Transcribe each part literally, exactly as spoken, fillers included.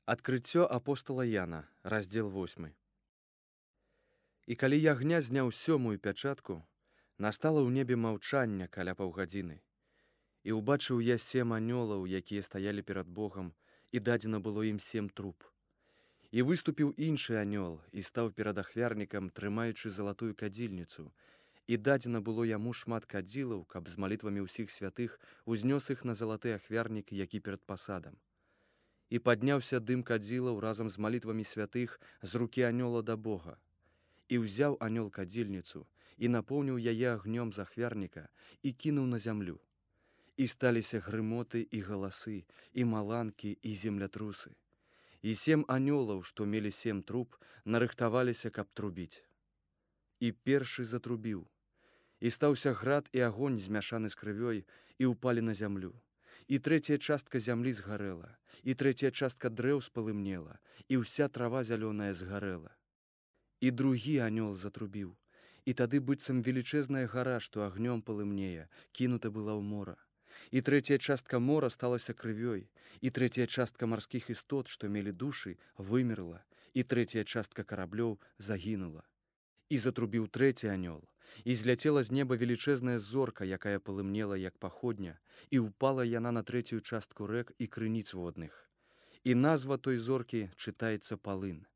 Адкрыццё апостала Яна, раздзел восьмы. І калі ягня зняў сёмую пячатку, настала ў небе маўчанне каля паўгадзіны. І ўбачыў я сем анёлаў, якія стаялі перад Богам, і дадзена было ім сем труб. І выступіў іншы анёл і стаў перад ахвярнікам, трымаючы залатую кадзільніцу, і дадзена было яму шмат кадзілаў, каб з малітвамі ўсіх святых узнёс іх на залаты ахвярнік, які перад пасадам. І падняўся дым кадзілаў разам з малітвамі святых з рукі анёла да Бога. І ўзяў анёл кадзільніцу і напоўніў яе агнём з ахвярніка і кінуў на зямлю. І сталіся грымоты і галасы, і маланкі, і землятрусы. І сем анёлаў, што мелі сем труб, нарыхтаваліся, каб трубіць. І першы затрубіў. І стаўся град і агонь змяшаны з крывёй, і ўпалі на зямлю. І трэцяя частка зямлі згарэла, і трэцяя частка дрэў спалымнела, і ўся трава зялёная згарэла. І другі анёл затрубіў, і тады быццам велічэзная гара, што агнём палымнее, кінута была ў мора. І трэцяя частка мора сталася крывёй, і трэцяя частка марскіх істот, што мелі душы, вымерла, і трэцяя частка караблёў загінула. І затрубіў трэці анёл, і зляцела з неба велічэзная зорка, якая палымнела, як паходня, і ўпала яна на трэцюю частку рэк і крыніц водных. І назва той зоркі чытаецца палын.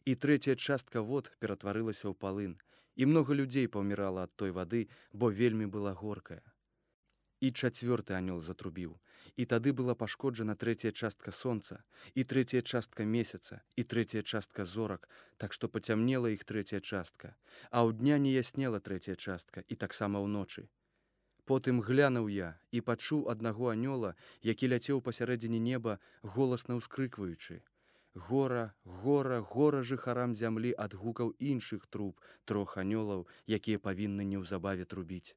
І трэцяя частка вод ператварылася ў палын, і многа людзей паўмірала ад той вады, бо вельмі была горкая. І чацвёрты анёл затрубіў, і тады была пашкоджана трэцяя частка сонца, і трэцяя частка месяца, і трэцяя частка зорак, так што пацямнела іх трэцяя частка, а ў дня не яснела трэцяя частка, і таксама ўночы. Потым глянуў я і пачуў аднаго анёла, які ляцеў пасярэдзіне неба, голасна ўскрыкваючы: «Гора, гора, гора жыхарам зямлі ад гукаў іншых труб трох анёлаў, якія павінны неўзабаве трубіць».